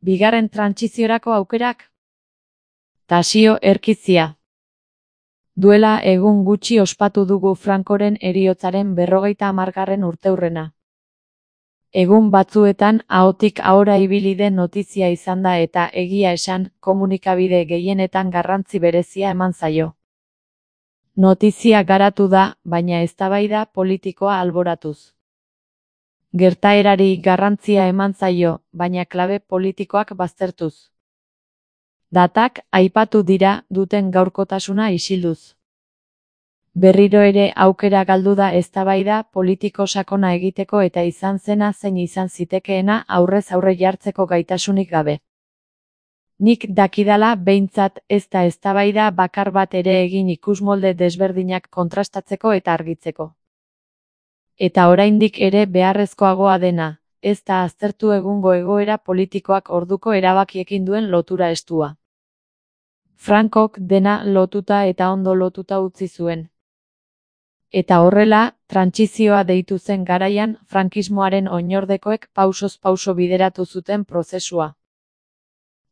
Bigarren trantsiziorako aukerak? Tasio Erkizia. Duela egun gutxi ospatu dugu Francoren heriotzaren 50. urteurrena. Egun batzuetan ahotik ahora ibili den notizia izan da eta egia esan, komunikabide gehienetan garrantzi berezia eman zaio. Notizia garatu da, baina eztabaida politikoa alboratuz. Gertaerari garrantzia eman zaio, baina klabe politikoak baztertuz. Datak aipatu dira duten gaurkotasuna isilduz. Berriro ere aukera galdu da eztabaida politiko sakona egiteko eta izan zena zein izan zitekeena aurrez aurre jartzeko gaitasunik gabe. Nik dakidala behintzat ez da eztabaida bakar bat ere egin ikusmolde desberdinak kontrastatzeko eta argitzeko. Eta oraindik ere beharrezkoagoa dena, ez da aztertu egungo egoera politikoak orduko erabakiekin duen lotura estua. Francok dena lotuta eta ondo lotuta utzi zuen. Eta horrela, trantsizioa deitu zen garaian frankismoaren oinordekoek pausoz pauso bideratu zuten prozesua.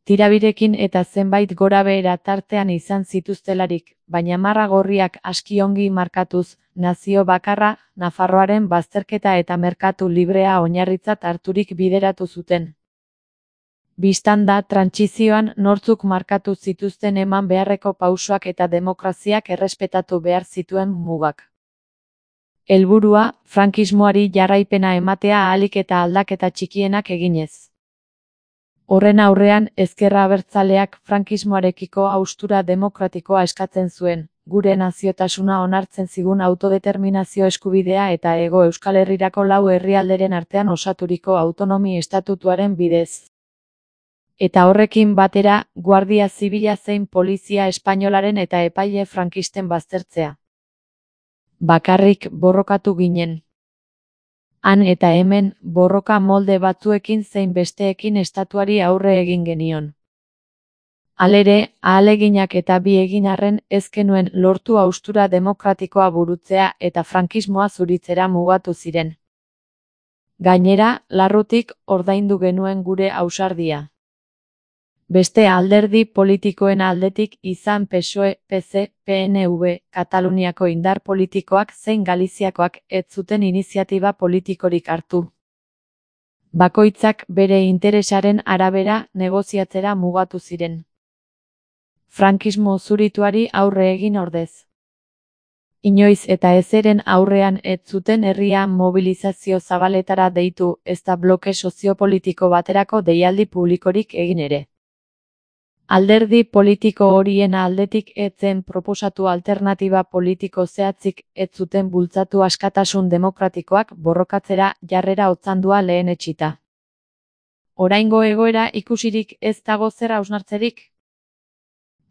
Tirabirekin eta zenbait gorabehera tartean izan zituztelarik, baina marra gorriak aski ongi markatuz, nazio bakarra, Nafarroaren bazterketa eta merkatu librea oinarritzat harturik bideratu zuten. Bistan da trantsizioan nortzuk markatu zituzten eman beharreko pausoak eta demokraziak errespetatu behar zituen mugak. Helburua, frankismoari jarraipena ematea ahalik eta aldaketa txikienak eginez. Horren aurrean, ezkerra abertzaleak frankismoarekiko haustura demokratikoa eskatzen zuen, gure naziotasuna onartzen zigun autodeterminazio eskubidea eta Hego Euskal Herrirako 4 herrialderen artean osaturiko autonomi estatutuaren bidez. Eta horrekin batera, Guardia Zibila zein Polizia Espainolaren eta epaile frankisten baztertzea. Bakarrik borrokatu ginen. Han eta hemen, borroka molde batzuekin zein besteekin estatuari aurre egin genion. Halere, ahaleginak eta bi egin arren ez genuen lortu haustura demokratikoa burutzea eta frankismoa zuritzera mugatu ziren. Gainera, larrutik ordaindu genuen gure ausardia. Beste alderdi politikoen aldetik izan PSOE, PC, PNV, Kataluniako indar politikoak zein Galiziakoak ez zuten iniziatiba politikorik hartu. Bakoitzak bere interesaren arabera negoziatzera mugatu ziren. Frankismo zurituari aurre egin ordez. Inoiz eta ezeren aurrean ez zuten herria mobilizazio zabaletara deitu, ezta bloke soziopolitiko baterako deialdi publikorik egin ere. Alderdi politiko horien aldetik ez zen proposatu alternatiba politiko zehatzik ez zuten bultzatu askatasun demokratikoak borrokatzera jarrera otzandua lehenetsita. Oraingo egoera ikusirik ez dago zer hausnartzerik?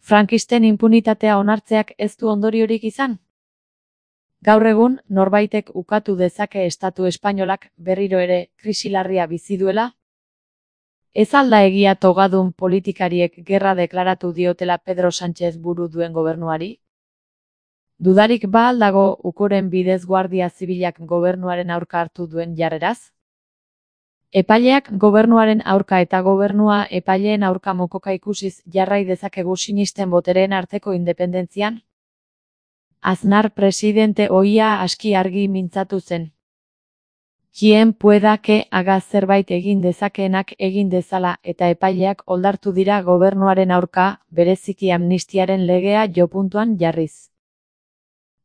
Frankisten inpunitatea onartzeak ez du ondoriorik izan? Gaur egun, norbaitek ukatu dezake estatu espainolak berriro ere krisi larria bizi duela? Ez alda egia togadun politikariek gerra deklaratu diotela Pedro Sánchez buru duen gobernuari? Dudarik ba al dago ukoren bidez Guardia Zibilak gobernuaren aurka hartu duen jarreraz? Epaileak gobernuaren aurka eta gobernua epaileen aurka mokoka ikusiz jarrai dezakegu sinisten botereen arteko independentzian? Aznar presidente ohia aski argi mintzatu zen. Quien pueda que haga zerbait egin dezakeenak egin dezala eta epaileak oldartu dira gobernuaren aurka, bereziki amnistiaren legea jopuntuan jarriz.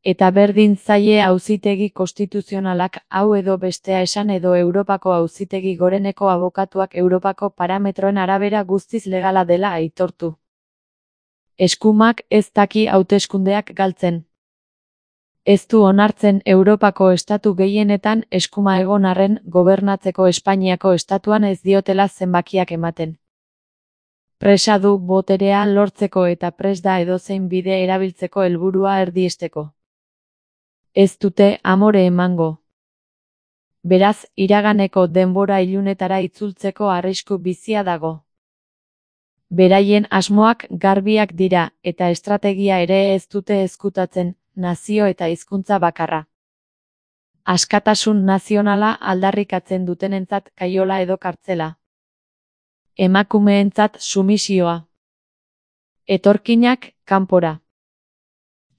Eta berdin zaie auzitegi konstituzionalak hau edo bestea esan edo Europako auzitegi goreneko abokatuak Europako parametroen arabera guztiz legala dela aitortu. Eskumak ez daki hauteskundeak galtzen. Ez du onartzen Europako estatu gehienetan eskuma egon arren gobernatzeko Espainiako estatuan ez diotela zenbakiak ematen. Presa du boterea lortzeko eta prest da edozein bide erabiltzeko helburua erdiesteko. Ez dute amore emango. Beraz, iraganeko denbora ilunetara itzultzeko arrisku bizia dago. Beraien asmoak garbiak dira eta estrategia ere ez dute ezkutatzen, nazio eta hizkuntza bakarra. Askatasun nazionala aldarrikatzen dutenentzat kaiola edo kartzela. Emakumeentzat sumisioa. Etorkinak kanpora.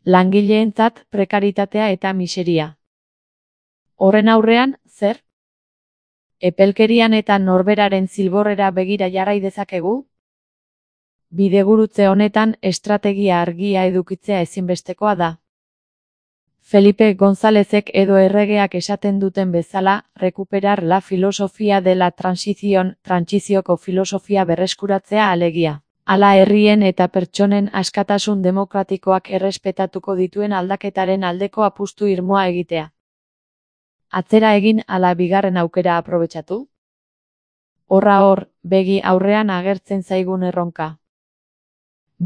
Langileentzat prekaritatea eta miseria. Horren aurrean, zer? Epelkerian eta norberaren zilborrera begira jarrai dezakegu? Bidegurutze honetan estrategia argia edukitzea ezinbestekoa da. Felipe Gonzálezek edo erregeak esaten duten bezala, recuperar la filosofia de la transición, trantsizioko filosofia berreskuratzea alegia. Hala herrien eta pertsonen askatasun demokratikoak errespetatuko dituen aldaketaren aldeko apustu irmoa egitea. Atzera egin ala bigarren aukera aprobetxatu? Horra hor, begi aurrean agertzen zaigun erronka.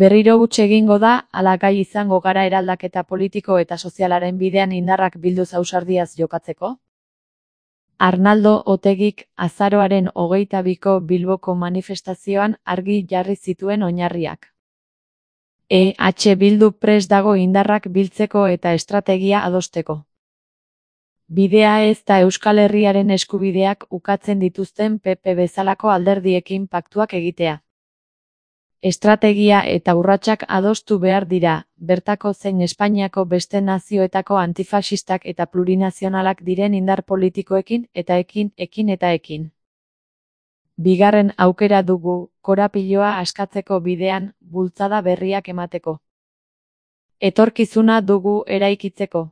Berriro huts egingo da, ala gai izango gara eraldaketa politiko eta sozialaren bidean indarrak bilduz ausardiaz jokatzeko? Arnaldo Otegik azaroaren 22ko Bilboko manifestazioan argi jarri zituen oinarriak. EH Bildu prest dago indarrak biltzeko eta estrategia adosteko. Bidea ez da Euskal Herriaren eskubideak ukatzen dituzten PP bezalako alderdiekin paktuak egitea. Estrategia eta urratsak adostu behar dira, bertako zein Espainiako beste nazioetako antifaxistak eta plurinazionalak diren indar politikoekin eta ekin. Bigarren aukera dugu, korapiloa askatzeko bidean, bultzada berriak emateko. Etorkizuna dugu eraikitzeko.